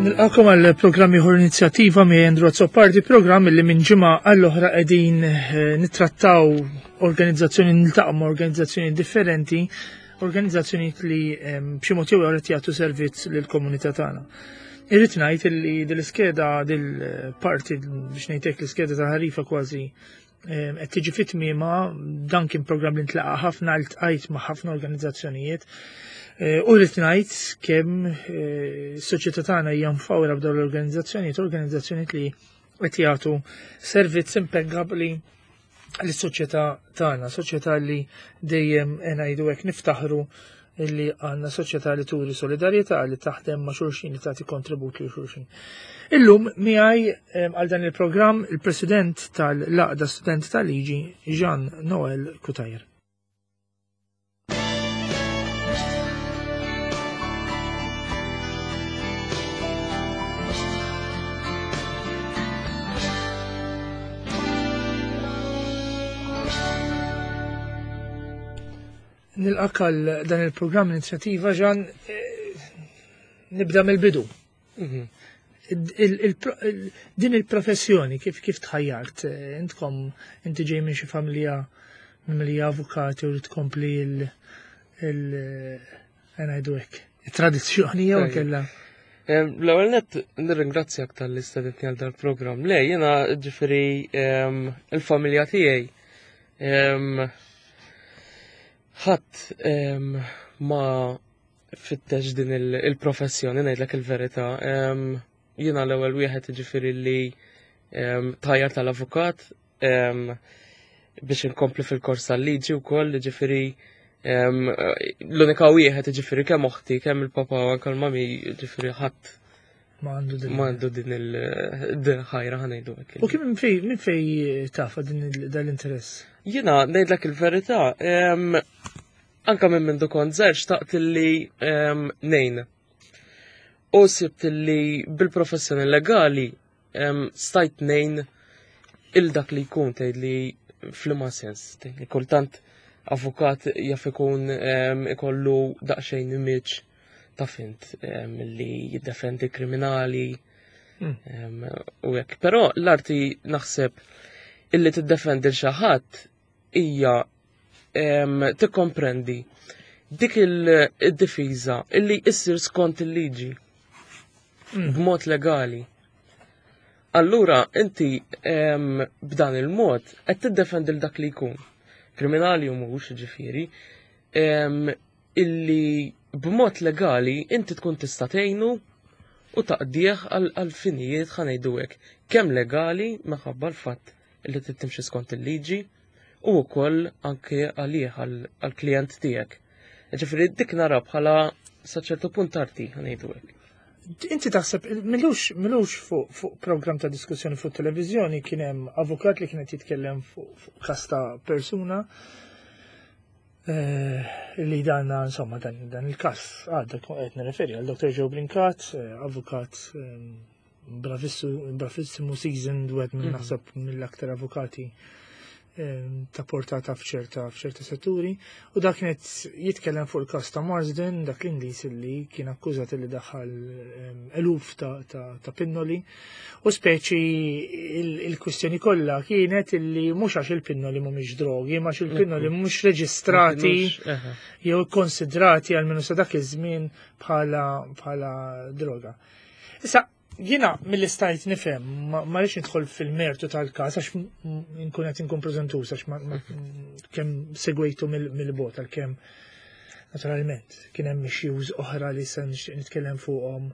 Nilqakom għal programm ieħor inizjattiva mi Andrew Azzopardi, programm li minn ġimgħa għall-oħra qegħdin eh, nittrattaw organizzazzjoni niltaqgħu ma' organizzazzjoni differenti, organizzazzjonijiet li ehm, b'xi mod jew qed jagħtu servizz lill-komunità tagħna. Irrid ngħid li dil-iskeda dil-parti biex ngħidlek l-iskeda ta' ħarifa kważi ehm, qed tiġi fit-tmiema dan kien programm li ntlaqa' ħafna ltqajt ma' ħafna organizzazzjonijiet. Eh, u rrid ngħid kemm eh, s-soċjetà tagħna hija mfawra b'dawn l-organizzazzjonijiet, organizzazzjonijiet li qed jagħtu servizz impeggabbli lis-soċjetà tagħna, soċjetà li dejjem ngħidu hekk niftaħru illi għandna soċjetà li turi solidarjetà li taħdem ma' xulxin li tagħti kontribut li xulxin. Illum miegħi għal dan il-programm il-President tal-Laqda Student tal-Liġi Jean Noel Kutajer. Nilqak għal dan il-programm inizjattiva ġan eh, nibda mill-bidu. Mhm. Din il-professjoni kif kif tħajjart, eh, intkom inti ġej minn xi familja mimlija avukati u li tkompli il eh, ngħidu hekk, it-tradizzjoni jew kella. L-ewwel nett nirringrazzjak tal-li stedintni għal dal-programm. Le, jiena ġifieri il-familja tiegħi ħadd ma fittex din il-professjoni ngħidlek il-verità. Jiena l-ewwel wieħed ġifieri li tajjar tal-avukat biex inkompli fil-kors tal-liġi wkoll ġifieri l-unika wieħed ġifieri kemm oħti, kemm il-papa u anke l-mami ġifieri ħadd ma għandu din il-ħajra ħanejdu hekk. U kif minn fej minn fej tafa din dal-interess? Jiena ngħidlek il-verità, anka minn mindu kont żgħir xtaqt li ngħin. U sibt li bil-professjoni legali stajt ngħin il dak li jkun tgħid li f'liema sens, tgħid li kultant avukat jaf ikun ikollu daqsxejn image ta' fint li jiddefendi kriminali hmm. u hekk. Però l-arti naħseb illi tiddefendi l xi ħadd hija tikkomprendi dik il-difiża illi issir skont il-liġi hmm. b'mod legali. Allura inti b'dan il-mod qed tiddefendi l dak li jkun. Kriminali u mhux ġifieri, illi b'mod legali inti tkun tista' tgħinu u taqdih għal finijiet ħanejdu hekk, kemm legali minħabba l-fatt li trid timxi skont il-liġi u wkoll anke għalih għall-klijent tiegħek. Ġifieri dik nara bħala sa ċertu punt arti ħanejdu hekk. Inti taħseb, milux, milux fuq fu program ta' diskussjoni fuq televizjoni kien hemm avukat li kienet jitkellem fuq fu kas ta' persuna eh, li dan insomma dan, dan il-kas għadda qed nirreferi għal Dr. Joe Brincat, eh, avukat eh, bravissimu seasoned wieħed minn mhm. naħseb mill-aktar avukati ehm, ta' portata f'ċerta f'ċerta setturi u dak kienet jitkellem fuq il-każ ta' Marsden dak l-Ingliż li kien akkużat li daħal ehm, eluf ta', ta, ta pinnoli u speċi il-kwistjoni kollha kienet illi mhux għax il-pinnoli mhumiex drogi, ma għax il-pinnoli mhumiex reġistrati jew konsidrati għal minnu sa dak iż-żmien bħala bħala droga. Issa, jiena mill stajt nifhem, ma rridx nidħol fil-mertu tal-każ għax nkun qed inkun preżentuż għax kemm segwejtu mill-bot għalkemm naturalment kien hemm issues oħra li se nixtieq nitkellem fuqhom.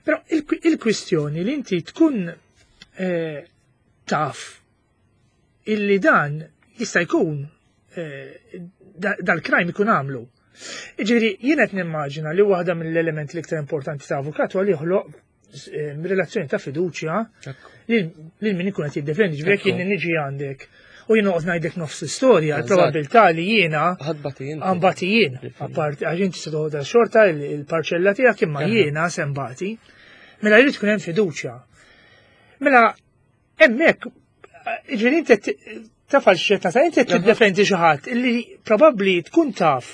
Però il-kwistjoni li inti tkun eh, taf illi dan jista' jkun eh, dal-crime ikun għamlu. Ġifieri jien qed nimmaġina li waħda mill-elementi l-iktar importanti ta' avukat huwa li joħloq eh, relazzjoni ta' fiduċja lil min ikun qed jiddefendi. Ġifieri jekk jien niġi għandek u jien noqgħod ngħidlek nofs istorja, l-probabilità li jiena għambati jien, apparti għax inti se toħodha xorta il-parċella tiegħek imma jiena se mbati. Mela jrid tkun hemm fiduċja. Mela Hemmhekk, ġifieri inti taf għal xi ta' inti tiddefendi xi ħadd illi probabbli tkun taf.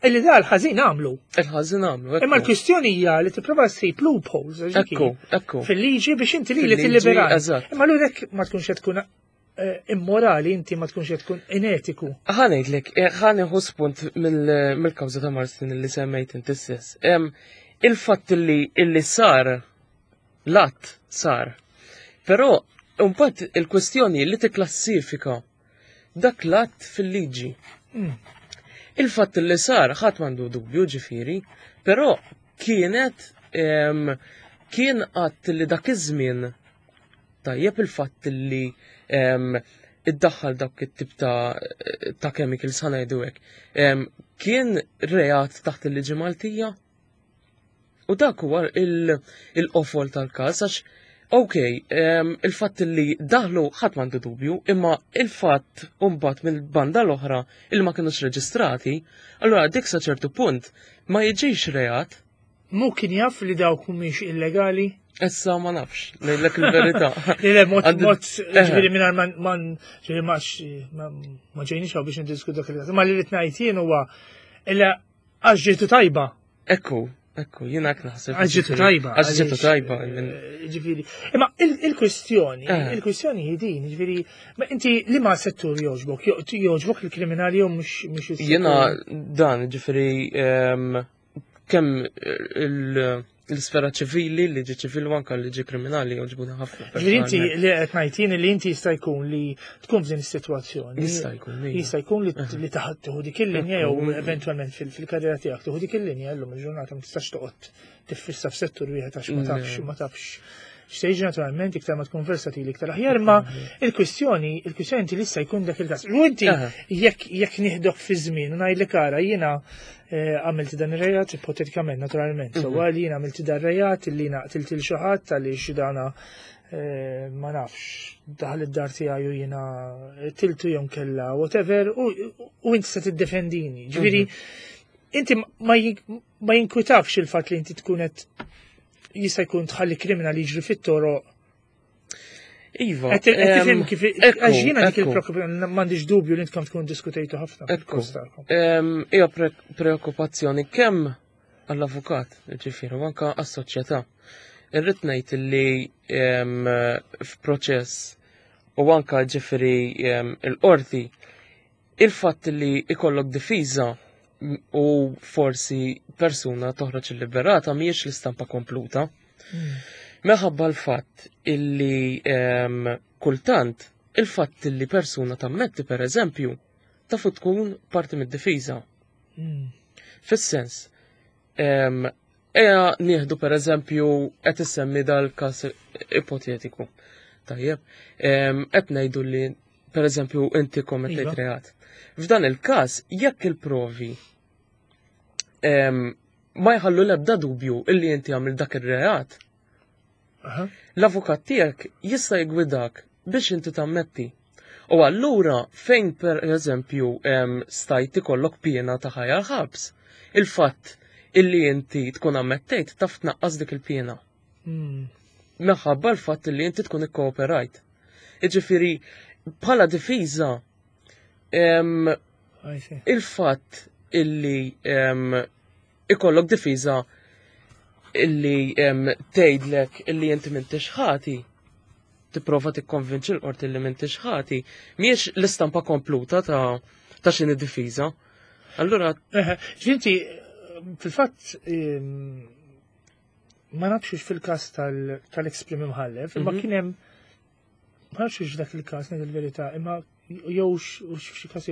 Illi da l-ħażin għamlu. Il-ħażin għamlu. Imma l-kwistjoni hija li tipprova ssib loopholes. Ekku, ekku. Fil-liġi biex inti li tilliberaj. Imma l ma tkunx qed tkun eh, immorali, inti ma tkunx qed tkun inetiku. Ħa ngħidlek, eh, ħa nieħu spunt mill-kawża ta' Marston li semmejt inti stess. Il-fatt li illi sar l-att sar. Però mbagħad il-kwestjoni li tikklassifika dak l-att fil-liġi. Il-fatt li sar ħadd m'għandu dubju ġifieri, però kienet kien att li dak iż-żmien tajjeb il-fatt li iddaħħal dak it-tip ta' ta' chemicals ħa ngħidu hekk. Kien reat taħt il-liġi Maltija? U dak huwa il-qofol tal-każ għax ok, il-fatt li daħlu ħadd m'għandu dubju, imma il-fatt mbagħad mill-banda l-oħra il ma kinux reġistrati, allura dik sa ċertu punt ma jiġix reat. Mu kien jaf li dawk mhumiex illegali? Issa ma nafx, ngħidlek il-verità. Le, mod, mod, ġifieri mingħajr ma ġifieri ma ma ġejniex hawn biex niddiskutu dak il-każ. Ma li rid ngħid jien huwa illa għax ġietu tajba. Ekku, ekku, jiena hekk naħseb. Għax ġietu tajba. Għax ġietu tajba. Eh, ġifieri. Imma il-kwistjoni, eh. il-kwistjoni hi din, ġifieri, ma inti li ma settur jogħġbok, jogħġbok il-kriminali jew mhux Jiena dan, ġifieri, ehm, kemm l-isfera ċivili, liġi ċivili u anka liġi kriminali joġbuna ħafna. Ġifieri inti li qed ngħid li inti jista' jkun li tkun f'din is-sitwazzjoni. Jista' jkun. Jista' jkun li taħt tieħu dik il-linja jew eventwalment fil-karriera tiegħek tieħu dik il-linja llum il-ġurnata ma tistax toqgħod tiffissa f'settur wieħed għax ma tafx ma tafx x'se naturalment iktar ma tkun versatili iktar aħjar, imma il-kwistjoni, il-kwistjoni inti lista jkun dak il-każ. U inti jekk jekk nieħdok fi żmien u ngħidlek ara jiena eh, għamilt dan ir-rejat, ipotetikament naturalment, so mhm. li jiena għamilt dan ir-rejat li jiena qtilt il xi ħadd għaliex dana eh, ma nafx daħal id-dar tiegħi u jiena tiltu jew kella whatever u inti se tiddefendini. Ġifieri mhm. inti ma jinkwitakx il-fatt li inti tkun qed jista' jkun tħalli kriminal jiġri fit-toroq. Iva. Qed tifhem kif għax jiena dik il-preokkupazzjoni m'għandix dubju li intkom tkun diskutejtu ħafna. Ekku. Hija preokkupazzjoni kemm għall-avukat, ġifieri, u anke għas-soċjetà. Irrid ngħid li f'proċess u anke ġifieri il-qorti Il-fatt li ikollok difiża u forsi persuna toħroġ illiberata mhijiex l-istampa kompluta. Hmm. Meħabba l-fatt illi ehm, kultant il-fatt illi persuna tammetti per eżempju tafu tkun parti mid-difiża. Hmm. Fis-sens, ehm, Eja nieħdu per eżempju qed issemmi dal-każ ipotetiku. Tajjeb, qed ngħidu li per eżempju inti kommettejt iva. reat. F'dan il-każ jekk il-provi ma jħallu l-ebda dubju illi inti għamil dak ir-reat, l-avukat tiegħek jista' jgwidak biex inti tammetti. U allura fejn per eżempju stajt ikollok piena ta' ħajja l-ħabs, il-fatt illi inti tkun ammettejt taf tnaqqas dik il-piena. Meħabba l-fatt illi inti tkun ikkooperajt. Iġifieri bħala difiża il-fatt illi ikollok difiża illi tgħidlek illi inti m'intix ħati, tipprova tikkonvinċi l-qorti li m'intix ħati, mhijiex l-istampa kompluta ta' ta' x'inhi difiża. Allura. Ġinti, fil-fatt ma nafx fil-każ tal-ex prim imħallef, imma mhm. kien hemm ma nafx dak il-każ ngħid il-verità, imma jew xi każ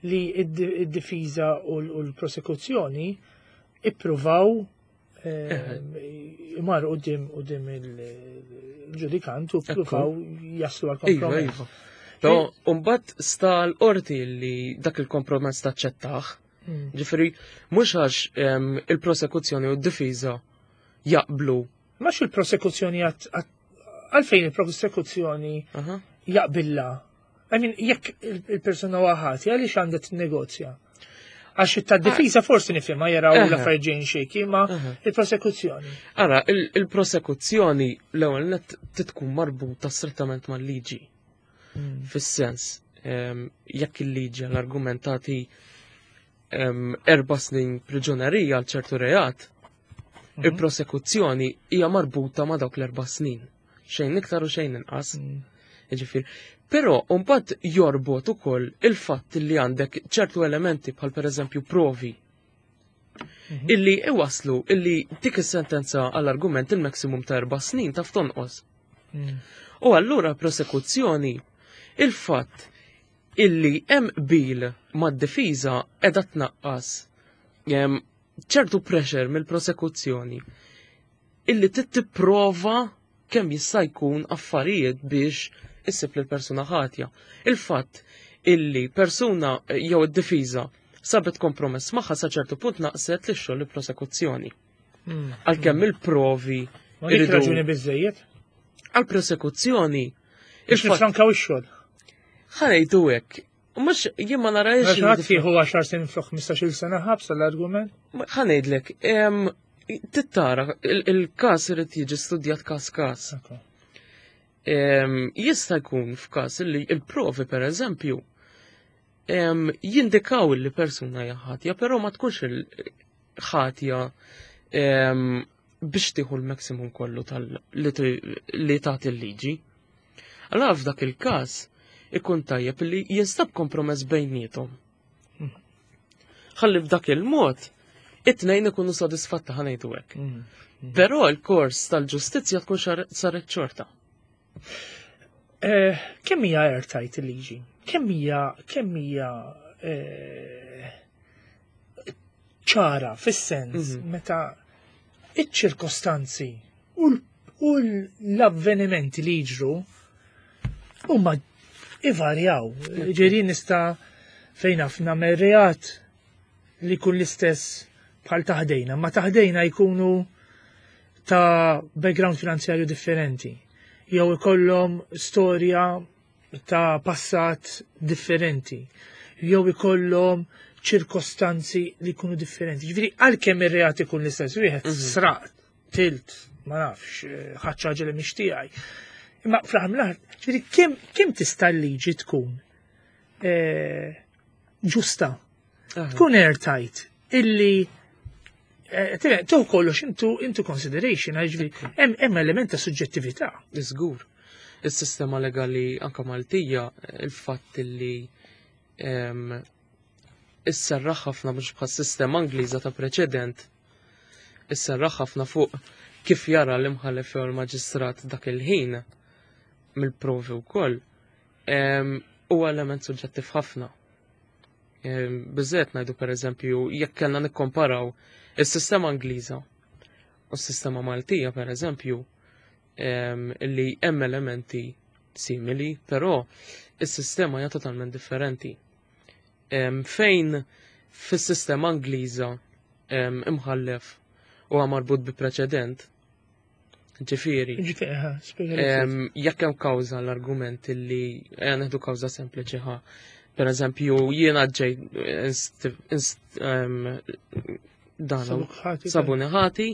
li d-difiża u l-prosekuzzjoni ippruvaw eh, imar qudiem qudiem il-ġudikant u ppruvaw jaslu għal iva, kompromess. Iva. Però mbagħad sta l-qorti li dak il-kompromess taċċettaħ. Hmm. Ġifieri mhux għax il-prosekuzzjoni u d-difiża jaqblu. Mhux il-prosekuzzjoni għalfejn il-prosekuzzjoni jaqbilla. I mean, jekk il-persuna waħati, għaliex għandha tinnegozja? Għax ta' difiża forsi nifhimha jaraw l-affarijiet ġejjin xejki, ma il-prosekuzzjoni. Ara, il-prosekuzzjoni l-ewwel net titkun marbuta strettament mal-liġi. Hmm. Fis-sens, jekk il-liġi l-argumentati 4 snin priġunerija għal ċertu reat, il-prosekuzzjoni hija marbuta ma' dawk l-4 snin. Xejn iktar u xejn inqas. Ġifieri. Però mbagħad jorbot ukoll il-fatt li għandek ċertu elementi bħal pereżempju provi illi iwaslu illi dik is-sentenza għall-argument il-maximum ta' 4 snin taf tonqos. U allura prosekuzzjoni il-fatt illi hemm qbil mad-difiża qiegħda tnaqqas ċertu pressure mill-prosekuzzjoni illi tipprova kemm jista' jkun affarijiet biex issib lil persuna ħatja. Il-fatt illi persuna jew id-difiża sabet kompromess magħha sa ċertu punt naqset li xogħol il-prosekuzzjoni. Għalkemm il-provi Ma dik raġuni biżejjed? Għal-prosekuzzjoni. Biex nifrankaw ix-xogħol. Ħa ngħidu hekk, mhux jien ma narajx. Ħadd tieħu 10 snin flok 15-il sena ħabs l-argument. Ħa ngħidlek, tittara, il-każ irid jiġi studjat każ każ. Jista' jkun f'każ li il-provi per eżempju jindikaw li persuna hija ħatja, però ma tkunx il-ħatja biex tieħu l-maximum kollu li tagħti l-liġi. Allora f'dak il-każ ikun tajjeb li jinstab kompromess bejniethom. Ħalli f'dak il-mod it-tnejn ikunu sodisfatti, ħa ngħidu hekk. Però l-kors tal-ġustizzja tkun saret xorta. Kemm hija airtight il-liġi? Kemm hija ċara fis-sens meta iċ-ċirkostanzi u l-avvenimenti li jiġru huma ivarjaw. Ġieli nista' fejn naf nagħmel reat li jkun l-istess bħal ta' ħdejna, ma ta' ħdejna jkunu ta' background finanzjarju differenti, jew ikollhom storja ta' passat differenti, jew ikollhom ċirkostanzi li jkunu differenti. Ġifieri għalkemm ir-reat ikun l-istess wieħed, sraqt, qtilt, ma nafx, ħadt ħaġa li mhix tiegħi. Imma fl-aħħar mill-aħħar, ġifieri kemm tista' l-liġi tkun ġusta, tkun airtight, illi tieħu kollox into consideration, ġifieri hemm element ta' suġġettività. Żgur. Is-sistema legali anka Maltija, il-fatt li isserraħ ħafna mhux bħas sistema Ingliża ta' preċedent, isserraħ ħafna fuq kif jara l-imħallef jew il-maġistrat dak il-ħin mill-provi wkoll, huwa element suġġettiv ħafna. Biżżejjed ngħidu pereżempju jekk kellna nikkomparaw is-sistema Ingliża u s-sistema Maltija pereżempju, li hemm elementi simili, però is-sistema hija totalment differenti. Fejn fis-sistema Ingliża imħallef huwa marbut bi preċedent, ġifieri, Ġifieri, ha, spjega li ftit. Jekk hemm kawża l-argument li ejja neħdu kawża sempliċi ħa. Per eżempju, jiena ġej dan Sabuk ħati, sabuni ħati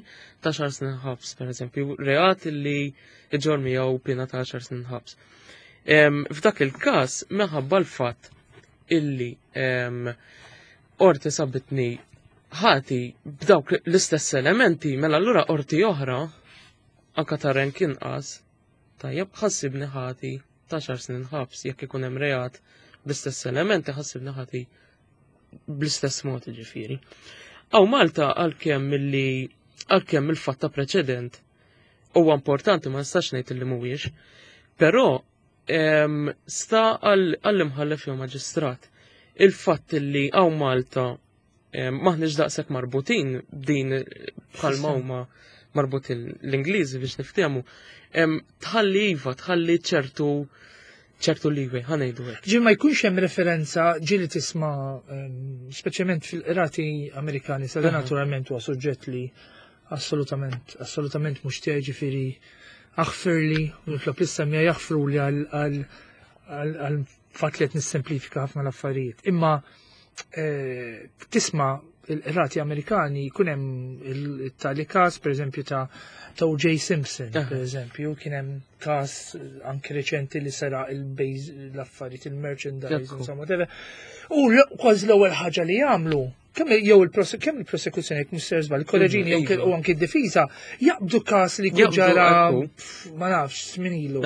ta' 10 snin ħabs, per eżempju, reat li iġorr miegħu pena ta' 10 snin ħabs. F'dak il-każ, minħabba l-fatt illi qorti sabitni ħati b'dawk l-istess elementi, mela allura qorti oħra, anka ta' rank inqas, tajjeb ħa ssibni ħati ta' 10 snin ħabs, jekk ikun hemm reat bl-istess elementi ħa ssibni ħati bl-istess mod ġifieri. Hawn Malta għalkemm il-fatt ta' preċedent huwa importanti, ma nistax ngħid li mhuwiex, però sta għall-imħallef jew maġistrat. Il-fatt li hawn Malta maħniex daqshekk marbutin din bħalma huma marbutin l-Ingliżi biex niftehmu, tħalli iva, tħalli ċertu leeway, ħa ngħidu hekk. Ġi ma jkunx hemm referenza ġieli tisma' speċjalment fil-qrati Amerikani, sa dan naturalment huwa suġġett li assolutament mhux tiegħi, ġifieri aħfirli u nitlob lis-semmiegħa jaħfru li għal fatt li qed nissemplifika ħafna l-affarijiet. Imma tisma' il-qrati Amerikani jkun hemm il-tali każ pereżempju ta' O.J. Simpson, pereżempju, kien hemm każ anke reċenti li seraq il-bejz l-affarijiet, il-merchandise, insomma, whatever. U kważi l-ewwel ħaġa li jagħmlu Kemm jew il-kemm il-prosekuzzjoni jekk mhux ser żball, il-kolleġini mhm, u anki d-difiża jaqbdu każ li jkun ġara ma nafx żmien ilu.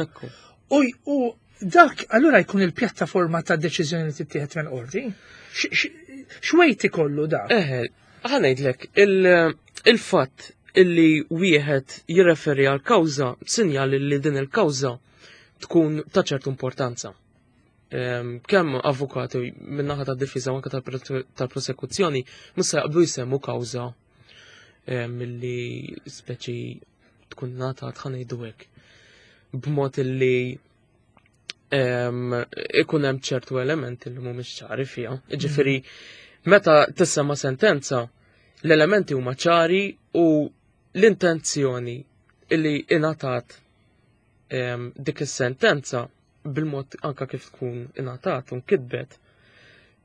U dak allura jkun il-pjattaforma ta' deċiżjoni li tittieħed minn qorti. X'wejt ikollu dak? Eħe, ħa ngħidlek, il-fatt illi wieħed jirreferi għal kawża sinjal li din il-kawża tkun ta' ċertu importanza. Kemm avukati min-naħa tad-difiża u anke tal-prosekuzzjoni mhux se jaqblu jsemmu kawża milli speċi tkun ngħatat ħa ngħidu hekk b'mod illi ikun hemm ċertu elementi li mhumiex ċari fiha. Ġifieri meta tissemma sentenza, l-elementi huma ċari u l-intenzjoni illi ingħatat dik is-sentenza bil-mod anka kif tkun ingħatat u nkitbet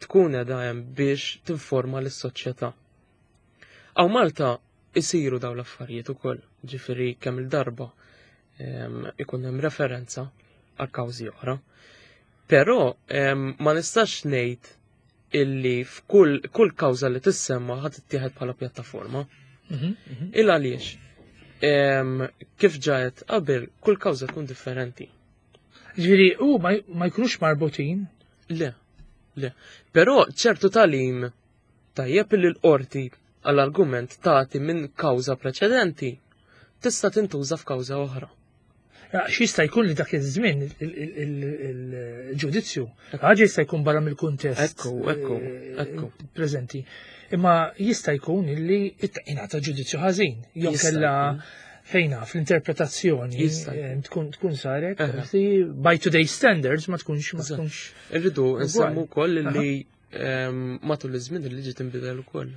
tkun edha hemm biex tinforma lis-soċjetà. Hawn Malta isiru dawn l-affarijiet ukoll, ġifieri kemm il-darba ikun hemm referenza għal kawżi oħra. Però ma nistax ngħid illi f'kull kull kawża li tissemma ħadd ittieħed bħala pjattaforma. Mhm, mhm. Il għaliex kif ġajet qabel kull kawża tkun differenti. Ġifieri u ma jkunux marbutin? Le, le. Però ċertu talim Tajjeb illi l-qorti għall-argument tagħti minn kawża preċedenti tista' tintuża f'kawża oħra. X'jista' jkun li dak iż-żmien il-ġudizzju ħaġa jista' jkun barra mill-kuntest. Ekku, ekku, eh, ekku. Preżenti. Imma jista' jkun illi ingħata ġudizzju ħażin, jew kellha fejna fl-interpretazzjoni eh, tkun tkun saret, by today's standards ma tkunx ma tkunx. Irridu nsemmu wkoll li matul iż-żmien il-liġi tinbidel ukoll.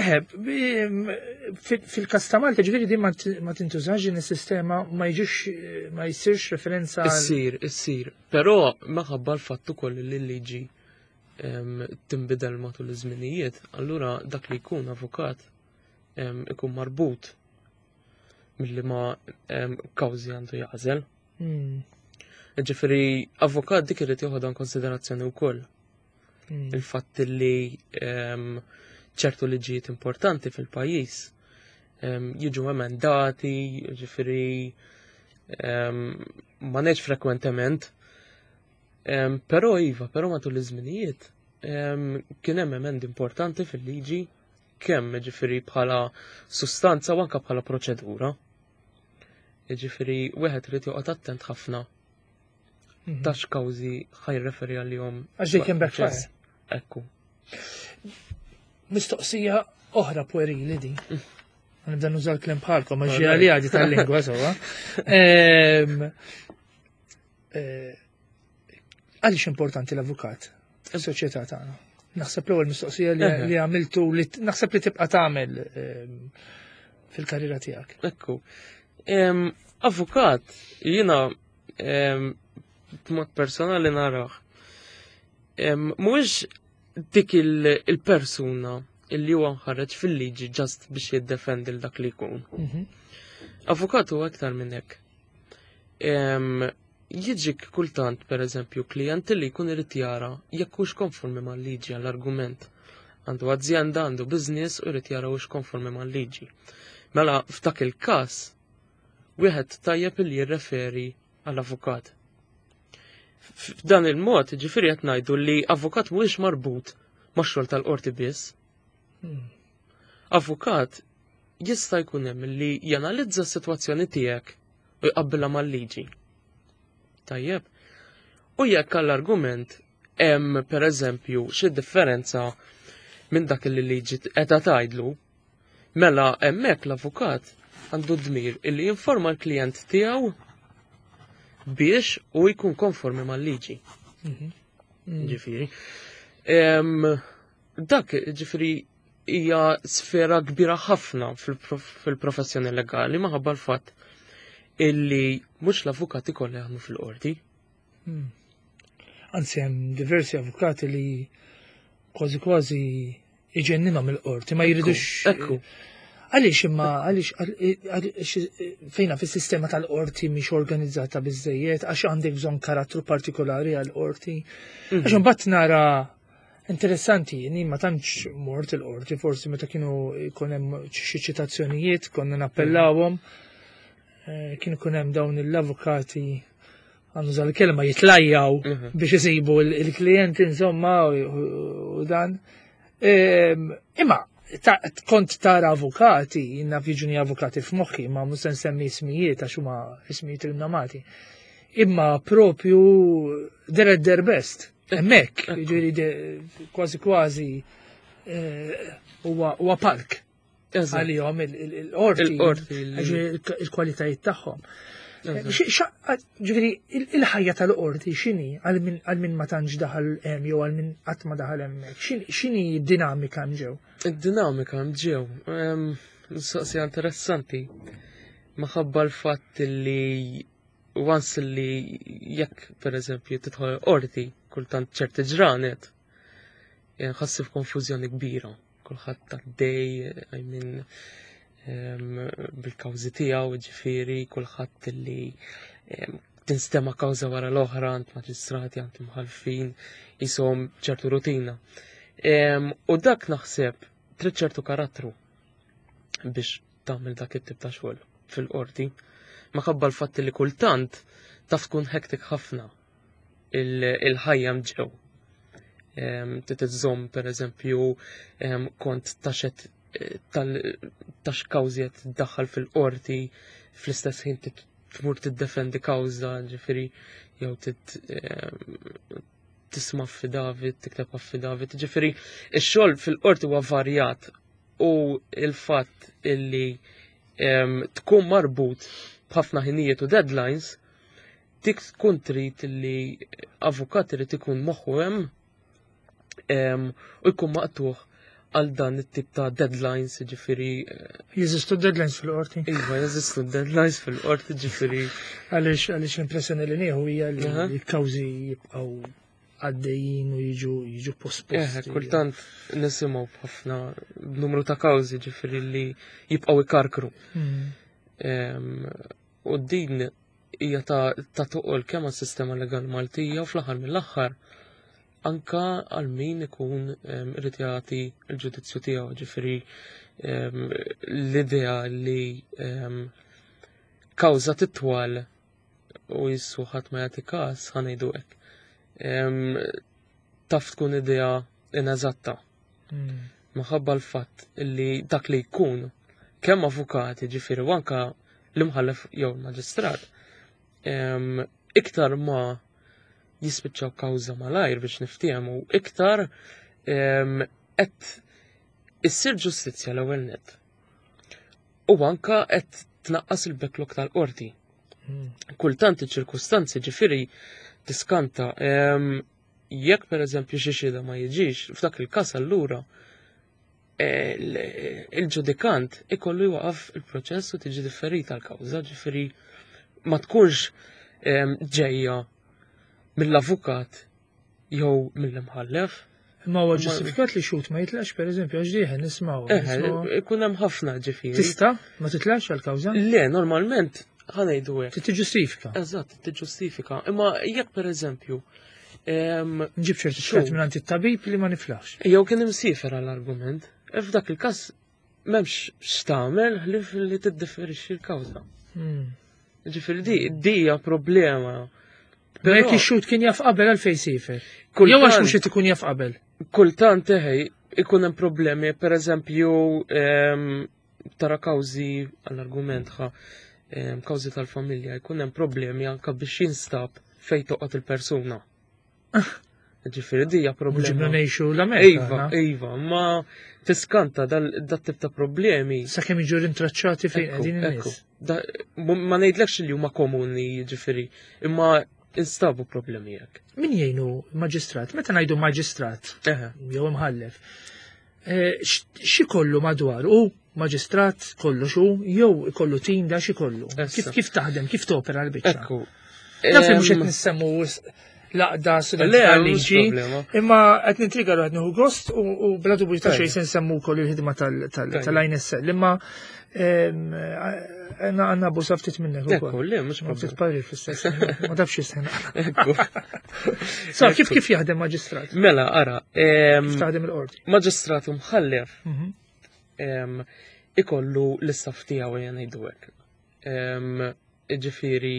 Eħe, fil-każ ta' Malta ġifieri din ma tintużax din is-sistema ma jiġix ma jsirx referenza. Issir, issir. Però minħabba l-fatt ukoll li l-liġi tinbidel matul iż-żminijiet, allura dak li jkun avukat ikun marbut milli ma kawżi għandu jażel. Hmm. Ġifieri avukat dik irid joħodha konsiderazzjoni wkoll. Hmm. Il-fatt li ehm, ċertu liġijiet importanti fil-pajjiż ehm, jiġu emendati, ġifieri ehm, ma ngħidx frekwentement, però iva, però matul iż-żminijiet kien hemm emendi importanti fil-liġi kemm ġifieri bħala sustanza u anke bħala proċedura. Ġifieri wieħed irid joqgħod attent ħafna Mhm. Ta' x'kawżi ħajreferi għalihom. Għax they can backfire. Ekku. Mistoqsija oħra puerili din. Mm. Nibda nuża l-klem bħalkom, għax ġi għadi tal-lingwa sewa. Eh, għaliex importanti l-avukat fis-soċjetà tagħna? Naħseb l-ewwel mistoqsija li għamiltu li naħseb li tibqa' tagħmel fil-karriera tiegħek. Ekku. Avukat, jiena b'mod personali narah. Mhuwiex dik il-persuna illi huwa mħarreġ fil-liġi ġast biex jiddefendi l dak li jkun. Mhm. Avukat huwa aktar minn hekk. Jiġik kultant, per eżempju, klient li jkun irid jara jekk hux konformi mal-liġi għall-argument. Għandu azienda, għandu business u jrid jara hux konformi mal-liġi. Mela f'dak il-każ wieħed tajjeb li jirreferi għal avukat. F'dan il-mod, ġifieri qed ngħidu li avukat mhuwiex marbut max-xogħol tal-qorti biss. Hmm. Avukat jista' jkun hemm li janalizza s-sitwazzjoni tiegħek u jqabbilha mal-liġi. Tajjeb. U jekk għall-argument hemm pereżempju xi differenza minn dak li liġi qiegħda tgħidlu, Mela hemmhekk l-avukat għandu d-dmir illi jinforma l-klijent tiegħu biex u jkun konformi mal-liġi. Mhm. Mm. Ġifieri. Dak ġifieri hija sfera kbira ħafna fil-professjoni legali maħabba l-fatt illi mhux l-avukati kollha jaħdmu fil-qorti. Hmm. Anzi hemm diversi avukati li kważi kważi iġenninhom il-qorti, ma jridux. Ekku. Għaliex imma għaliex fejna fis-sistema tal-qorti mhix organizzata biżejjed, għax għandek bżonn karattru partikolari għall-qorti. Mhm. Għax imbagħad nara Interessanti, jien ma tantx mort il-qorti, forsi meta kienu jkun hemm xi ċitazzjonijiet konna nappellawhom, eh, kien ikun hemm dawn l-avukati għandu l-kelma jitlajjaw mhm. biex isibu il-klijenti insomma u dan. Ehm, imma kont tara avukati, jinna jiġuni avukati f'moħħi, ma mhux se nsemmi ismijiet għax huma ismijiet rinnomati. Imma propju they're at their best. Hemmhekk, jiġifieri kważi kważi eh, huwa palk għalihom il-qorti, il-kwalitajiet tagħhom. Ġifieri il-ħajja tal-qorti x'inhi għal min ma tantx daħal hemm jew għal min qatt ma daħal hemmhekk, x'inhi d-dinamika hemm ġew? Id-dinamika hemm ġew, mistoqsija interessanti. Maħabba l-fatt li once li jekk pereżempju tidħol qorti kultant ċerti ġranet, ħassi f'konfużjoni kbira. Kulħadd għaddej, I mean, bil-kawżi tiegħu, ġifieri kulħadd li tinstema' kawża wara l-oħra għand maġistrati, għand imħallfin, jisom ċertu rutina. U dak naħseb trid ċertu karattru biex tagħmel dak it-tip ta' xogħol fil-qorti. Maħabba l-fatt li kultant taf tkun hektik ħafna il-ħajja mġew. Titizzom per eżempju kont taxet eh, tax kawżi qed tiddaħħal fil-qorti fl-istess ħin tmur tiddefendi kawża, ġifieri jew tisma' affidavit, tikteb affidavit, ġifieri ix-xogħol fil-qorti huwa varjat u il-fatt illi tkun marbut b'ħafna ħinijiet u deadlines dik tkun trid li avukat irid ikun moħħu hemm u jkun maqtuħ għal dan it-tip ta' deadlines, ġifiri. Eh, jeżistu deadlines fil-qorti? Iva, jeżistu deadlines fil-qorti, ġifiri. Għaliex, għaliex l-impressjoni li nieħu hija li l-kawżi jibqgħu għaddejjin u jiġu jiġu posposti. Eh, kultant nisimgħu b'ħafna b'numru ta' kawżi ġifieri li jibqgħu ikarkru. Hmm. U din hija ta' ta' toqol kemm għas-sistema legali Maltija u fl-aħħar mill-aħħar anka għal min ikun irid jagħti l-ġudizzju tiegħu, ġifieri l-idea li kawża titwal u jissu ħadd ma jagħti każ ħanejdu hekk. Taf tkun idea ineżatta. Hmm. Minħabba l-fatt li dak li jkun kemm avukati ġifieri u anka l-imħallef jew il-maġistrat iktar ma jispiċċaw kawża malajr biex niftehmu iktar qed issir ġustizzja l-ewwel net. U anka qed tnaqqas il-backlog tal-qorti. Hmm. Kultant iċ-ċirkustanzi ġifieri tiskanta jekk pereżempju xi xhieda ma jiġix, f'dak il-każ allura eh, il-ġudikant ikollu jwaqaf il-proċess u tiġi differita l-kawża, ġifieri ma tkunx ġejja mill-avukat jew mill-imħallef. Ma huwa ġustifikat li xut ma jitlax pereżempju għax dieħel nismgħu. Eh, ikun hemm ħafna ġifieri. Tista' ma titlax għall-kawża? Le, normalment ħanejdu hekk. Tiġġustifika. Eżatt, tiġġustifika. Imma jekk pereżempju Nġib ċertifikat minn it-tabib li ma niflax. Jew kien imsifer għall-argument. E f'dak il-każ m'hemmx x'tagħmel ħlief li tiddifferixxi l-kawża. Hmm. Ġifieri di di hija problema. Però jekk ix-xhud kien jaf qabel għalfejn sifer. Jew għax mhux qed ikun jaf qabel. Kultant eħej ikun hemm problemi, pereżempju tara kawżi għall-argument ħa kawżi tal-familja jkun hemm problemi anke biex jinstab fejn toqgħod il-persuna. Ġifieri di hija problema. Ġibna ngħixu l-Amerika. Iva, iva, ma tiskanta dat tip ta' problemi. Sakemm jiġu rintraċċati fejn qegħdin in-nies. Ma ngħidlekx li huma komuni ġifieri, imma instabu problemi hekk. Min jgħinu maġistrat? Meta ngħidu maġistrat jew imħallef, eh, xi kollu madwar u maġistrat kollu xu jew ikollu tim da xi kollu. Kif kif taħdem, kif topera l-biċċa? Ekku. Naf li mhux qed nissemmu l-għaqda studenti tal-liġi. Imma qed nintriga qed nieħu gost u bla dubju ta' xejn se nsemmu wkoll il-ħidma tal-INSL. Imma għandna abbuża ftit minnek ukoll. Le, mhux ftit parir fl-istess. Ma tafx jistħena. Sa kif kif jaħdem maġistrat? Mela, ara. Kif taħdem il-qorti? Maġistrat u mħallef mhm. ikollu l-istaff tiegħu jgħan ngħidu hekk. Ġifieri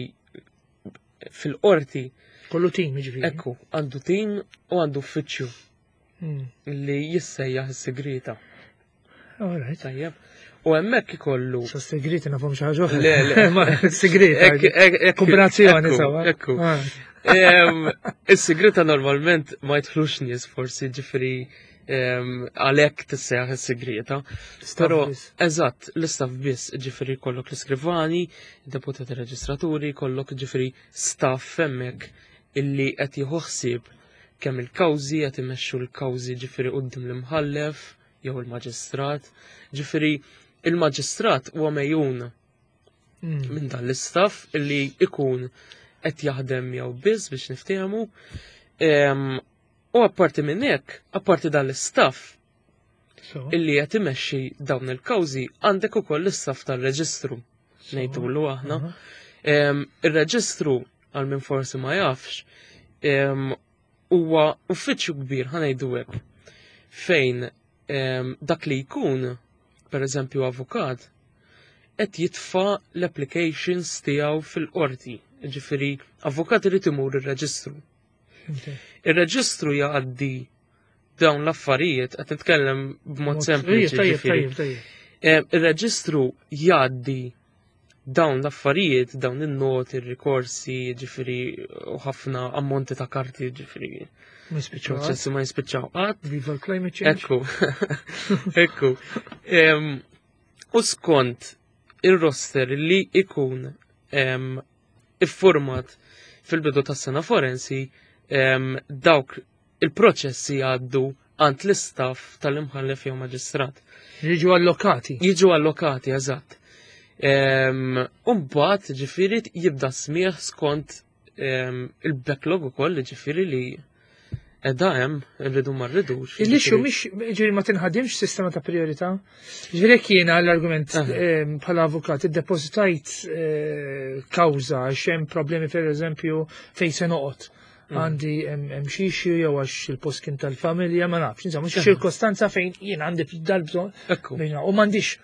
fil-qorti. Kollu tim, ġifieri. Ekku, għandu tim u għandu uffiċċju hmm. li jissejjaħ is-segreta. Alright. Tajjeb. U hemmhekk ikollu. Sa segreti nafhom xi ħaġa oħra. Le, le, ma segreta. Kombinazzjoni sawa. Ekku. Ah. Is-segreta normalment ma jidħlux nies forsi ġifieri għalhekk tissejjaħ is-sigrieta. Però eżatt, l-istaff biss, ġifieri kollok l-iskrivani, deputati reġistraturi, kollok ġifieri staff hemmhekk illi qed jieħu ħsieb kemm il-kawżi qed imexxu l-kawżi ġifieri quddiem l-imħallef jew il-maġistrat. Ġifieri il-maġistrat huwa mejjun mm. minn dan l-istaff illi ikun qed jaħdem jew biss biex niftehmu. U apparti minn hekk, apparti dan l-istaff illi qed imexxi dawn il-kawżi, għandek ukoll l-istaff tal-reġistru ngħidulu aħna. Ir-reġistru għal min forsi ma jafx huwa uffiċċju kbir ħa ngħidu hekk fejn dak li jkun, per eżempju avukat, qed jitfa' l-applications tiegħu fil-qorti. Ġifieri avukat irid imur ir-reġistru. Ir-reġistru jgħaddi dawn l-affarijiet, qed nitkellem b'mod sempliċi. Eh, ir-reġistru jgħaddi dawn l-affarijiet, dawn in-noti, ir-rikorsi, ġifieri u ħafna ammonti ta' karti, ġifieri. Proċessi ma jispiċċaw qatt. Viva climate change. Ekku. Ekku. U skont ir-roster li ikun iffurmat fil-bidu tas-sena forensi dawk il-proċessi jgħaddu għand l-istaff tal-imħallef jew maġistrat. Jiġu allokati. Jiġu allokati, eżatt. Umbagħad ġifieri jibda smieħ skont il-backlog ukoll ġifieri li edha hemm irridu ma rridux. Il-issue mhix ġifieri ma tinħadimx sistema ta' priorità. Ġifieri jekk jiena l-argument bħala avukat iddepożitajt eh, kawża għax hemm problemi pereżempju fejn se noqgħod. Mm. Għandi hemm xi issue jew għax il-post kien tal-familja, ma nafx, insomma, xi ċirkostanza fejn jien għandi dal-bżonn. U m'għandix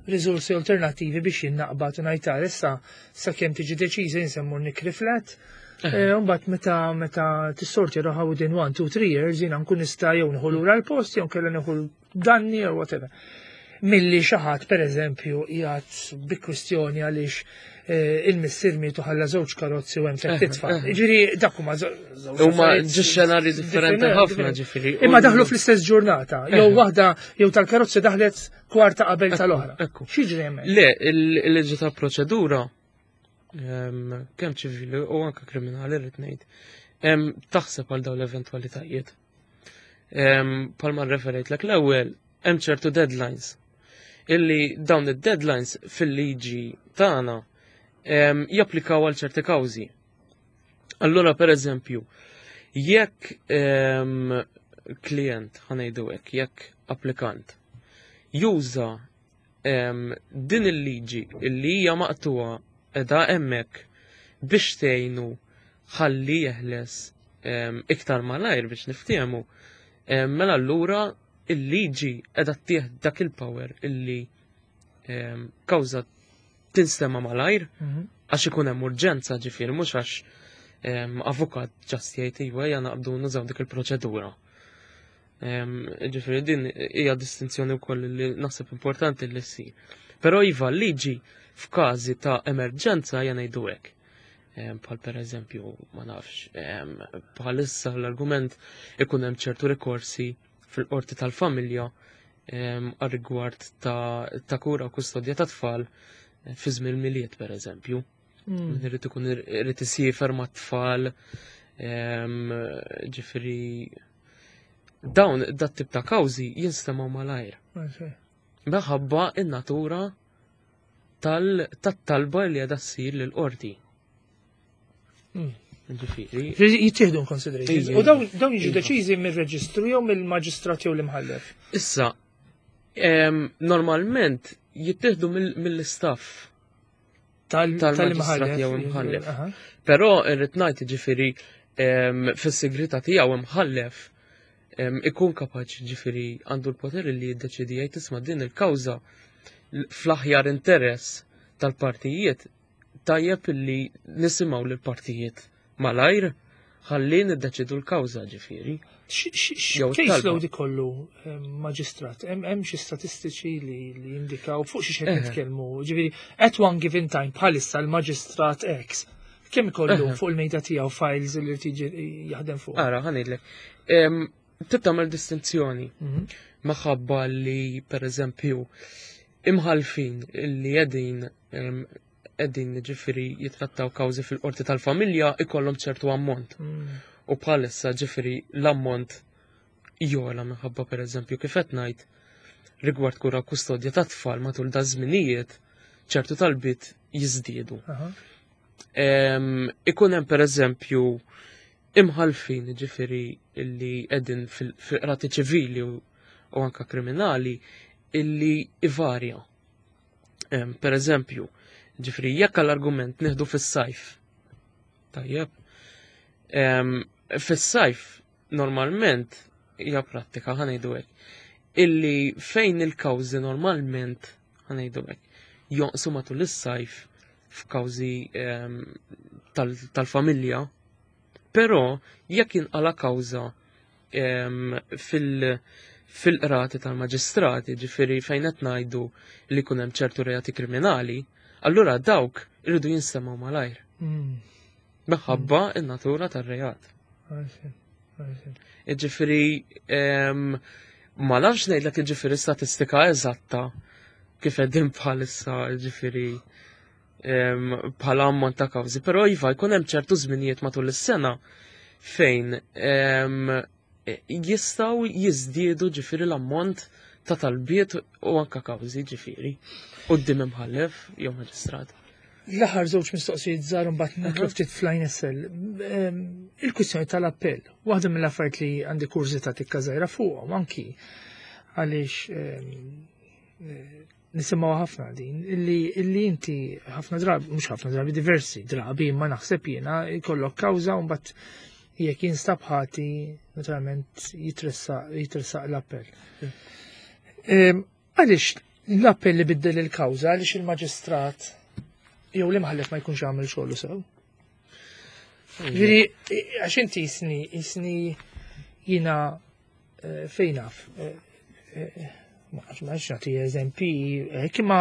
riżorsi alternattivi biex jien naqbad u ngħid tara issa sakemm tiġi deċiża jien se mmur nikri flat. Eh, mbagħad meta meta tissorti roħa within 1, 2, 3 years jiena nkun nista' jew nieħu lura l-post jew kellha nieħu danni jew whatever. Milli xi ħadd pereżempju qiegħed bi kwistjoni għaliex eh, il-missier mietu ħalla żewġ karozzi u hemm tliet eh, titfal. Eh. Ġifieri dak huma Huma xenarji differenti ħafna ġifieri. Imma daħlu fl-istess ġurnata, jew waħda jew tal-karozzi daħlet kwarta qabel tal-oħra. X'jiġri hemmhekk? Le, il-liġi ta' proċedura ehm, kemm ċivili u anke kriminali rrid ngħid, ehm, taħseb għal dawn l-eventwalitajiet. Ehm, palma referejt l ewwel hemm ċertu deadlines illi dawn id-deadlines fil-liġi tagħna japplikaw għal ċerti kawżi. Allura per eżempju, jekk klient ħanejdu hekk, jekk applikant juża din il-liġi illi hija maqtuha edha hemmhekk biex tgħinu ħalli jeħles iktar malajr biex niftehmu, mela allura il-liġi edha ttieħ dak il-power illi kawża tinstema malajr mhm. għax ikun hemm urġenza ġifieri mhux għax avukat ġast jgħid iva ejja naqbdu nużaw dik il-proċedura. Ġifieri din hija distinzjoni wkoll li naħseb importanti li ssir. Però iva liġi f'każi ta' emerġenza hija ngħidu hekk. Bħal per eżempju, ma nafx, bħalissa l-argument ikun hemm ċertu rikorsi fil-qorti tal-familja għal-rigward ta' kura u kustodja ta' tfal eh, fi żmien miliet per eżempju. Mm. Irid ikun irid isiefer ma' tfal, ġifieri dawn dat tip ta' kawżi jinstemaw malajr. Meħabba in-natura tal-talba li għadha ssir lill-qorti. Mm. Ġifieri. Jittieħdu in consideration. U dawn jiġu deċiżi mir-reġistru jew mill-maġistrat jew l-imħallef. Issa, normalment jittieħdu mill-istaff tal-maġistrat jew imħallef. Però irrid ngħid ġifieri fis-sigrita tiegħu imħallef ikun kapaċi ġifieri għandu l-poter li jiddeċidi jgħid isma' din il-kawża fl-aħjar interess tal-partijiet tajjeb li nisimgħu lill-partijiet malajr ħalli niddeċidu l-kawża ġifieri. Caseload ikollu maġistrat, hemm xi statistiċi li jindikaw fuq xi qed nitkellmu. Ġifieri at one given time bħalissa l-maġistrat X kemm ikollu fuq il-mejda tiegħu files li tiġi jaħdem fuq. Ara, ħa ngħidlek. Trid tagħmel distinzjoni. Maħabba li pereżempju imħalfin li qegħdin qegħdin ġifieri jitrattaw kawżi fil-qorti tal-familja ikollhom ċertu ammont. U bħalissa ġifieri l-ammont jola minħabba pereżempju kif qed ngħid rigward kura kustodja ta' tfal matul da żminijiet ċertu talbiet jiżdiedu. Ikun hemm pereżempju imħalfin ġifieri illi qegħdin fil-qrati ċivili u anka kriminali illi ivarja. Per eżempju, ġifieri jekk l-argument nieħdu fis-sajf. Tajjeb. Fis-sajf normalment hija prattika ħa ngħidu hekk illi fejn il-kawżi normalment ħa ngħidu hekk jonqsu matul is-sajf f'kawżi tal-familja, però jekk jinqala kawża fil-qrati tal-maġistrati, ġifieri fejn qed ngħidu li jkun hemm ċertu reati kriminali, allura dawk irridu jinstemgħu malajr. Minħabba in-natura tar-reat. Ġifieri ma nafx ngħidlek ġifieri statistika eżatta kif qegħdin bħalissa ġifieri bħala ammont ta' kawżi, però iva jkun hemm ċertu żminijiet matul is-sena fejn jistgħu jiżdiedu ġifieri l-ammont ta' talbiet u anka kawżi ġifieri quddiem imħallef jew maġistrat. L-aħħar żewġ mistoqsijiet żgħar mbagħad nidħlu ftit fl-INSL. Il-kwistjoni tal-appell, waħda mill-affarijiet li għandi kurżità tikka żgħira fuqhom anki għaliex nisimgħu ħafna din, illi inti ħafna drabi, mhux ħafna drabi, diversi drabi, imma naħseb jiena jkollok kawża u mbagħad jekk jinstab ħati, naturalment jitressaq l-appell. Għaliex l-appell li biddel il-kawża, għaliex il-maġistrat jew l-imħallef ma jkunx għamel xogħlu sew? Ġifieri, għax inti jisni jiena fejn naf, ma nafx nagħti eżempi, imma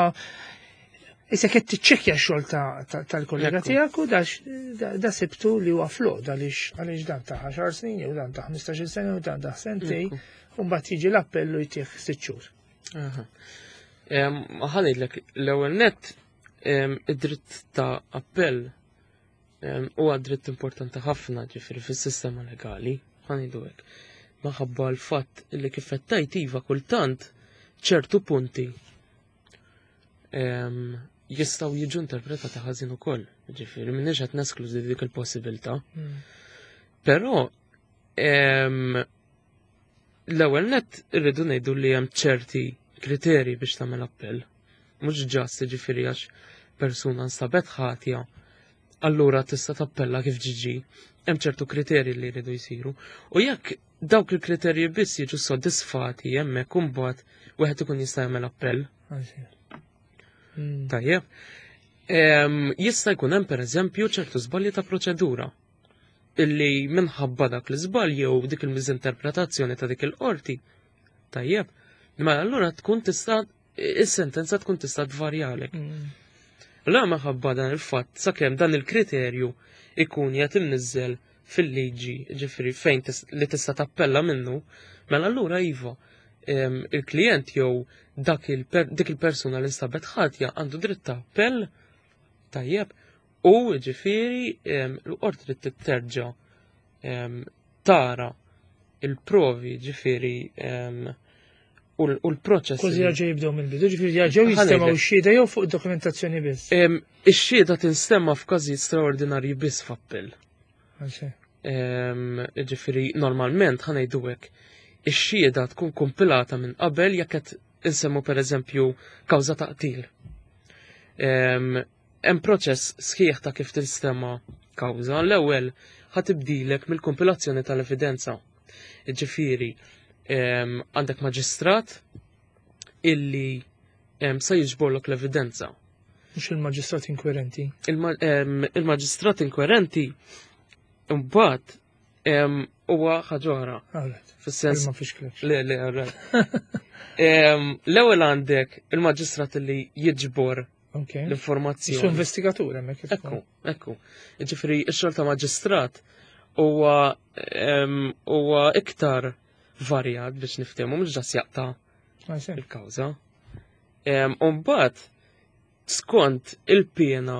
issa qed tiċċekkja x-xogħol tal-kollega tiegħek u da sibtu li huwa flawed għaliex dan ta' 10 snin jew dan ta' 15-il sena jew dan ta' sentej, u mbagħad jiġi l-appellu jtih 6 xhur. Ħa ngħidlek l-ewwel nett id-dritt ta' appell huwa dritt importanti ħafna ġifieri fis-sistema legali, ħa ngħidu hekk. Minħabba l-fatt li kif qed tgħid iva kultant ċertu punti jistgħu jiġu interpretati ħażin ukoll, ġifieri m'iniex qed neskludi dik il-possibilità. Però l-ewwel nett irridu ngħidu li hemm ċerti kriterji biex tagħmel appell. Mhux ġast ġifieri għax persuna nstabet ħatja, allura tista' tappella kif ġiġi. Hemm ċertu kriterji li jridu jsiru. U jekk dawk il-kriterji biss jiġu soddisfati hemmhekk imbagħad wieħed ikun jista' jagħmel appell. Tajjeb. Jista' jkun hemm pereżempju ċertu żbalji ta' proċedura illi minħabba dak l-iżball jew dik il-miżinterpretazzjoni ta' dik il-qorti. Tajjeb. Ma allura tkun tista' is-sentenza tkun tista' tvarjalek. La minħabba dan il-fatt sakemm dan il-kriterju ikun qed imniżżel fil-liġi, ġifieri fejn li tista' tappella minnu, mela allura iva il-klient jew dik il-persuna li nstabet ħatja għandu dritt ta' appell, tajjeb, u ġifieri l-qorti trid titterġa' tara il-provi ġifieri u l-proċess. Kważi jerġgħu jibdew mill-bidu, ġifieri jerġgħu jistemgħu x-xhieda jew fuq dokumentazzjoni biss. Ix-xhieda tinstema' f'każijiet straordinarji biss f'appell. Ġifieri normalment ħa ngħidu hekk, ix-xhieda tkun kompilata minn qabel jekk qed insemmu pereżempju kawża ta' qtil. Hemm proċess sħiħ ta' kif tinstema' kawża. L-ewwel ħa tibdilek mill-kompilazzjoni tal-evidenza. Ġifieri għandek maġistrat illi sa jiġborlok l-evidenza. Mhux il-maġistrat inkwirenti. Il-maġistrat inkwirenti mbagħad huwa ħaġa oħra. Fis-sens. Ma fixklekx. Le, le, L-ewwel għandek il-maġistrat li jiġbor l-informazzjoni. Su investigatur hemmhekk. Ekku, ekku. Ġifieri x-xogħol ta' maġistrat huwa huwa iktar varjat biex niftehmu mhux ġas jaqta' il-kawża. U mbagħad skont il-piena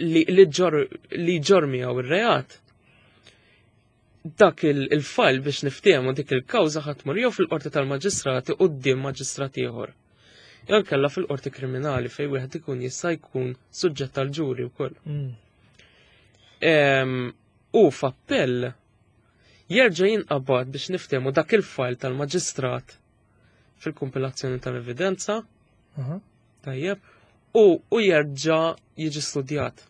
li ġor miegħu ir-reat, dak il-fajl biex niftehmu dik il-kawża ħadd tmur jew fil-qorti tal-maġistrati quddiem maġistrat ieħor. Jew kellha fil-qorti kriminali fejn wieħed ikun jista' jkun suġġett tal-ġuri wkoll. U f'appell jerġa' jinqabad biex niftehmu dak il-fajl tal-maġistrat fil-kompilazzjoni tal-evidenza. Tajjeb, u jerġa' jiġi studjat.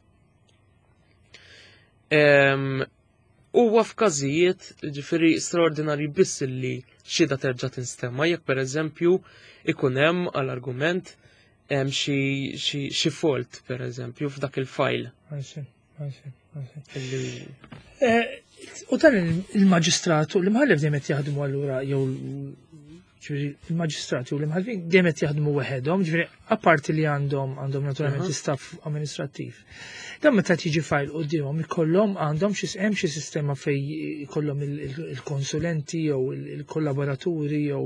Huwa f'każijiet ġifieri straordinarji biss li xhieda terġa' tinstema' jekk pereżempju ikun hemm għall-argument hemm xi fault pereżempju f'dak il-fajl. U dan il-maġistrat u l-imħallef dejjem qed jaħdmu allura jew ġifieri il-maġistrati u l-imħallfin dejjem qed jaħdmu weħedhom, ġifieri apparti li għandhom għandhom naturalment staff amministrattiv. Dan meta tiġi fajl qudiemhom ikollhom għandhom xi hemm xi sistema fej ikollhom il-konsulenti jew il-kollaboraturi jew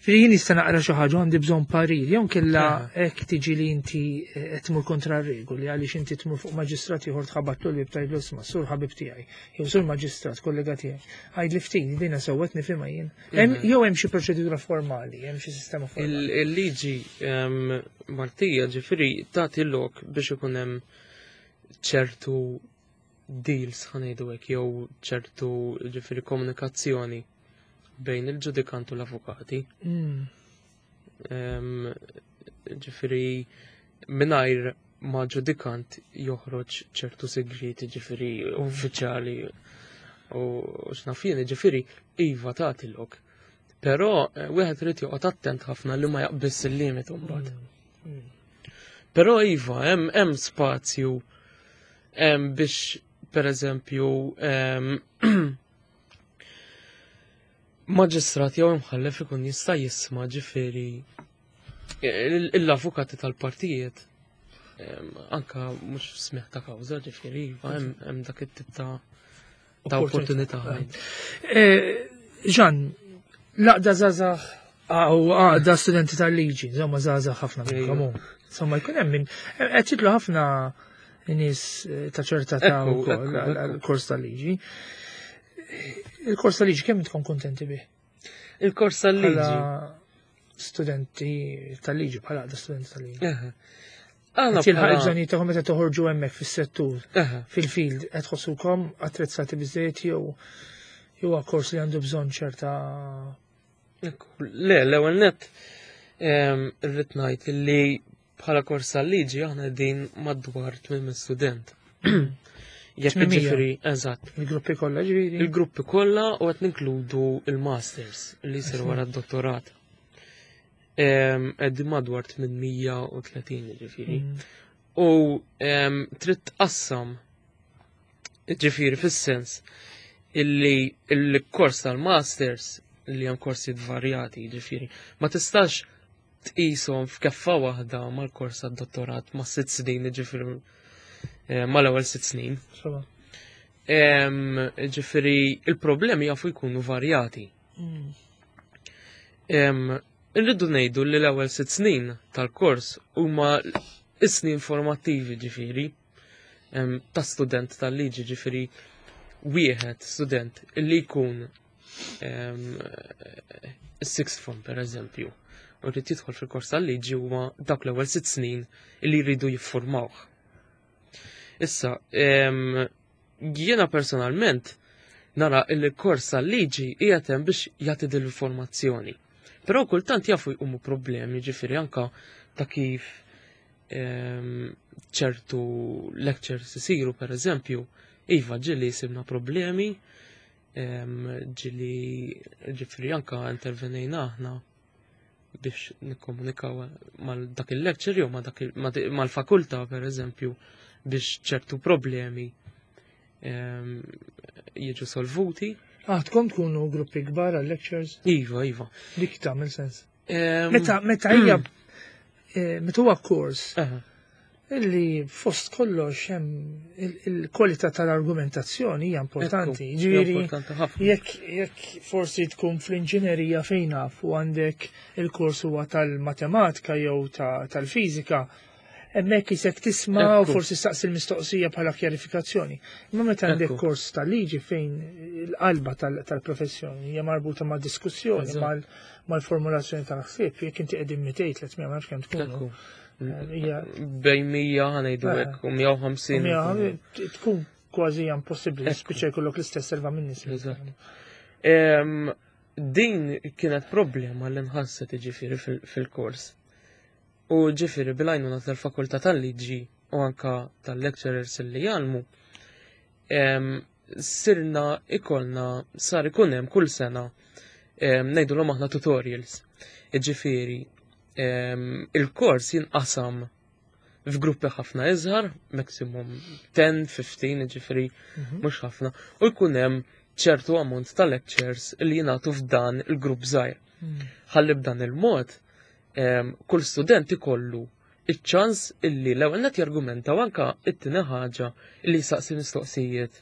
ġifieri jien nista' naqra xi ħaġa għandi bżonn parir jew kella hekk tiġi li inti qed tmur kontra r-regoli għaliex inti tmur fuq maġistrat ieħor tħabatlu l-bieb tgħidlu isma' sur ħabib tiegħi jew sur maġistrat kollega tiegħi. Għidli ftit dina sewwet nifhimha jien. Jew hemm xi proċedura formali, hemm xi sistema formali. Il-liġi Maltija ġifieri tagħti lok biex ikun hemm ċertu deals ħa ngħidu hekk jew ċertu ġifieri komunikazzjoni bejn il-ġudikant u l-avukati. Ġifieri mingħajr ma ġudikant joħroġ ċertu segreti ġifieri uffiċjali u x'naf jien, ġifieri iva tagħti lok. Però wieħed irid joqgħod attent ħafna li ma jaqbiss il-limit mbagħad. Però iva hemm spazju biex pereżempju maġistrat jew imħallef ikun jista' jisma' ġifieri l-avukati tal-partijiet anka mhux smigħ ta' kawża ġifieri iva hemm dak it-tip ta' opportunità. Jean, laqda żgħażagħ u għaqda studenti tal-liġi, insomma żgħażagħ ħafna minnkom hu. Insomma jkun hemm min qed jidlu ħafna nies ta' ċerta ta' wkoll għall-kors tal-liġi. Il-kors tal-liġi kemm tkun kontenti bih? Il-kors tal-liġi. Bħala studenti tal-liġi, bħala għaqda studenti tal-liġi. Għana Qed jilħaq bħala il-bżonnijiet tagħhom meta toħorġu hemmhekk fis-settur, fil-field, qed tħossukom attrezzati biżejjed jew huwa kors li għandu bżonn ċerta Ekku, le, l-ewwel nett irrid ngħid li bħala kors tal-liġi aħna qegħdin madwar 800 student. Jekk 800. ġifieri, eżatt. Il-gruppi kollha ġifieri? Il-gruppi kollha u qed ninkludu il-masters li jsiru wara d-dottorat. Qegħdin madwar 830 ġifieri. U trid tqassam ġifieri fis-sens illi il-kors tal-masters li hemm korsijiet varjati ġifieri ma tistax tqishom f'keffa waħda mal-kors tad-dottorat ma' 6 snin ġifieri mal-ewwel 6 snin. Ġifieri il-problemi jafu jkunu varjati. Irridu ngħidu li l-ewwel 6 snin tal-kors huma is-snin formattivi ġifieri ta' student tal-liġi ġifieri wieħed student li jkun sixth form per eżempju, u rrid jidħol fil-kors tal-liġi huwa dawk l-ewwel 6 snin li jridu jiffurmawh. Issa, jiena personalment nara il-kors tal-liġi qiegħed hemm biex jagħti din l-informazzjoni. Però kultant jafu jqumu problemi, ġifieri anka ta' kif ċertu lectures isiru per eżempju, iva ġieli sibna problemi, ġieli ġifieri anka intervenejna aħna biex nikkomunikaw mal dak il-lecture jew mal-fakultà per eżempju biex ċertu problemi jiġu solvuti. Ah, tkun tkunu gruppi kbar għal lectures? Iva, iva. Dik tagħmel sens. Meta meta hija meta huwa kors illi fost kollox hemm il-kwalità tal-argumentazzjoni hija importanti. Ġifieri jekk jekk forsi tkun fl-inġinerija fejn naf u għandek il-kors huwa tal-matematika jew tal-fiżika, hemmhekk isek tisma' u forsi staqsi l-mistoqsija bħala kjarifikazzjoni. Imma meta għandek kors tal-liġi fejn il-qalba tal-professjoni hija marbuta ma' diskussjoni, mal-formulazzjoni tal-ħsieb, jekk inti qegħdin 200, 300, ma nafx kemm tkunu. Bejn 100 ħa ngħidu hekk u 150. Tkun kważi impossibbli, spiċċa jkollok l-istess serva minn nies. Din kienet problema li nħasset ġifieri fil-kors. U ġifieri bil-għajnuna tal-fakultà tal-liġi u anka tal-lecturers li jgħallmu, sirna ikolna sar ikun hemm kull sena ngħidulhom aħna tutorials. Ġifieri il-kors jinqasam f'gruppi ħafna iżgħar, maximum 10, 15, ġifieri mhux ħafna, u jkun hemm ċertu ammont ta' lectures li jingħatu f'dan il-grupp żgħir. Ħalli b'dan il-mod kull student ikollu iċ-ċans illi l-ewwel net jargumenta u anka it-tieni ħaġa illi jsaqsi mistoqsijiet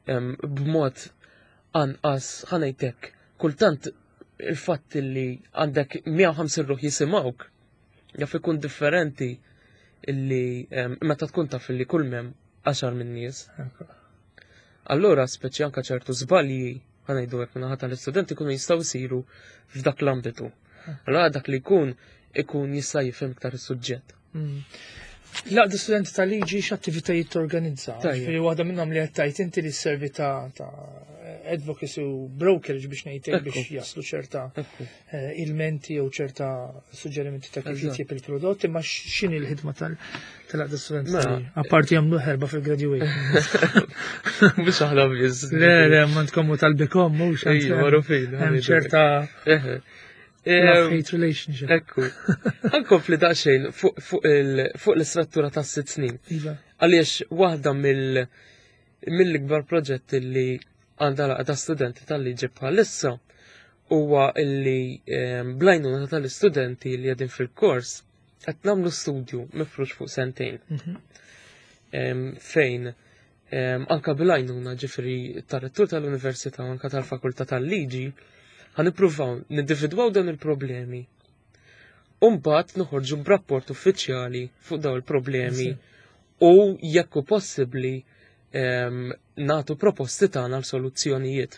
b'mod anqas ħa ngħidlek kultant il-fatt illi għandek 150 ruħ jisimgħuk jaf ikun differenti illi meta tkun taf illi kull mem 10 minn nies. Allura speċi anka ċertu żbalji ħa ngħidu hekk minnaħa tal-istudenti kunu jistgħu jsiru f'dak l-ambitu. Allura dak li jkun ikun jista' jifhem iktar is-suġġett. L-għaqda studenti tal-liġi x'attivitajiet torganizza? Ġifieri waħda minnhom li qed tgħid inti li sservi ta' advocacy u brokerage biex ngħidlek biex jaslu ċerta ilmenti jew ċerta suġġerimenti ta' kif jitjieb il-prodott, imma x'inhi l-ħidma tal-għaqda studenti tal-liġi? Apparti jagħmlu ħerba fil-graduate. Biex aħna biss. Le, le, ma tkommu tal-bikom, mhux hemm ċerta love-hate relationship. Ekku. Ħankompli daqsxejn fuq l-istruttura ta' 6 snin. Għaliex waħda mill-ikbar proġetti li għandha l-għaqda studenti tal-liġi bħalissa huwa illi bl-għajnuna tal-istudenti li qegħdin fil-kors qed nagħmlu studju mifrux fuq sentejn. Fejn anka bil-għajnuna ġifieri tar-rettur tal-Università u anka tal-Fakultà tal-Liġi ħa nippruvaw nindividwaw dawn il-problemi. U mbagħad noħorġu b'rapport uffiċjali fuq dawn il-problemi u jekk hu possibbli nagħtu proposti tagħna għal soluzzjonijiet.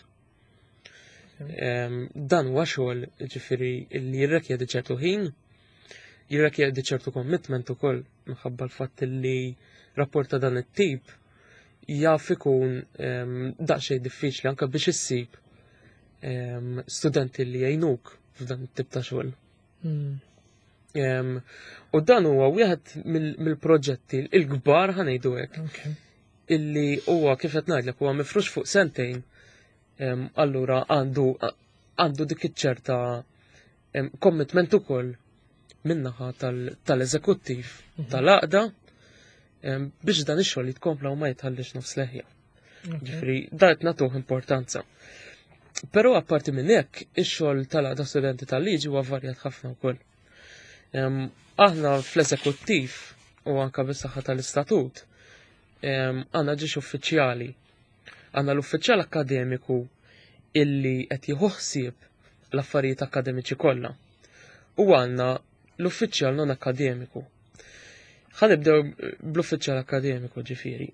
Dan huwa xogħol ġifieri li jirrikjedi ċertu ħin, jirrikjedi ċertu commitment ukoll minħabba l-fatt li rapport ta' dan it-tip jaf ikun daqsxejn diffiċli anke biex issib studenti li jgħinuk f'dan it-tip ta' xogħol. U dan huwa wieħed mill-proġetti l-kbar ħa ngħidu hekk. Illi huwa kif qed ngħidlek huwa mifrux fuq sentejn. Allura għandu dik iċ-ċerta commitment ukoll min-naħa tal-eżekuttiv tal-għaqda biex dan ix-xogħol jitkompla u ma jitħallix nofs leħja. Ġifieri dan qed nagħtuh importanza. Però apparti minn hekk, ix-xogħol tal-għaqda studenti tal-liġi huwa varjat ħafna wkoll. Aħna fl-eżekuttiv u anka bis-saħħa tal-istatut għandna ġiex uffiċjali. Għandna l-uffiċjal akkademiku illi qed jieħu ħsieb l-affarijiet akademiċi kollha. U għandna l-uffiċjal non akkademiku. Ħa nibdew bl-uffiċjal akkademiku ġifieri.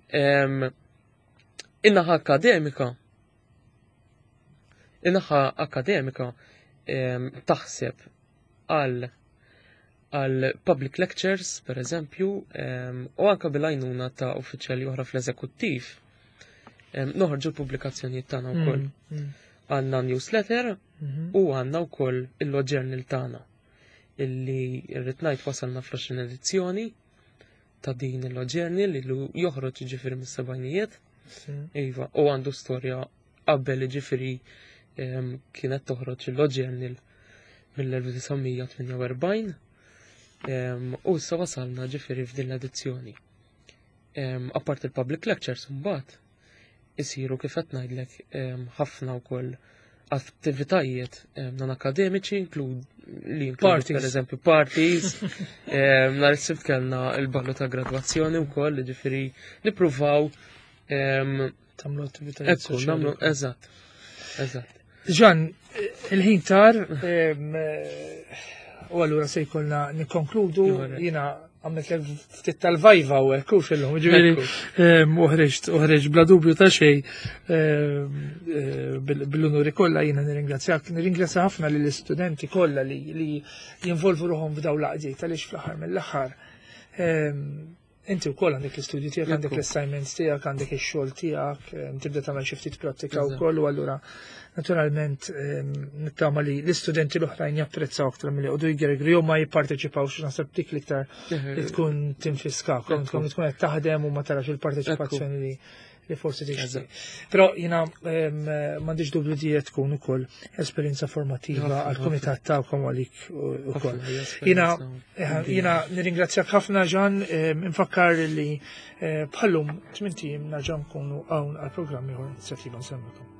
In-naħa akademika, in-naħa akademika taħseb għal għal public lectures, per eżempju, u anka bil-għajnuna ta' uffiċjali oħra fl-eżekuttiv, noħorġu l-pubblikazzjonijiet tagħna wkoll. Għandna newsletter u għandna wkoll il-law journal tagħna illi rrid ngħid wasalna fl-20 edizzjoni ta' din il-law journal li joħroġ ġifieri mis-sebgħinijiet. Iva, u għandu storja qabel, ġifieri kienet toħroġ il-law journal mill-1948 u issa wasalna ġifieri f'din l-edizzjoni. Apart il-public lectures, mbagħad isiru, kif qed ngħidlek, ħafna wkoll attivitajiet non akademiċi li inkludu Parties. Per eżempju parties, nhar is-Sibt kellna il-ballu ta' gradwazzjoni wkoll, ġifieri nippruvaw Tagħmlu attivitajiet Ekku, soċjali nagħmlu wkoll. Eżatt. Jean, il-ħin tar, u allura se jkollna nikkonkludu, jiena għamilt l ftit tal-viva u hekk u fil-lum, ġifieri, uħreġt bla dubju ta' xejn, bil-unuri kollha jiena nirringrazzjak, nirringrazzja ħafna lill-istudenti kollha li jinvolvu ruħhom f'daw l-għaqdiet, għaliex fl-aħħar mill-aħħar, inti wkoll għandek l-istudju tiegħek, għandek l-assignments tiegħek, għandek ix-xogħol tiegħek, tibda tagħmel xi ftit prattika wkoll, u allura naturalment nittama li l-istudenti l-oħrajn japprezzaw aktar milli jqogħdu jgergru jew ma jipparteċipawx. Naħseb dik l-iktar li tkun tinfiskakom, tkun qed taħdem u ma tarax il-parteċipazzjoni li forsi tixtieq. Però jiena m'għandix dubju li qed tkun ukoll esperjenza formattiva għall-kumitat tagħkom u għalik ukoll. Ħafna, hija esperjenza Jiena nirringrazzjak ħafna, Jean, infakkar li bħallum 8 ijiem nerġa' nkunu hawn għall-programm ieħor, Inizjattiva Nsellmilkom.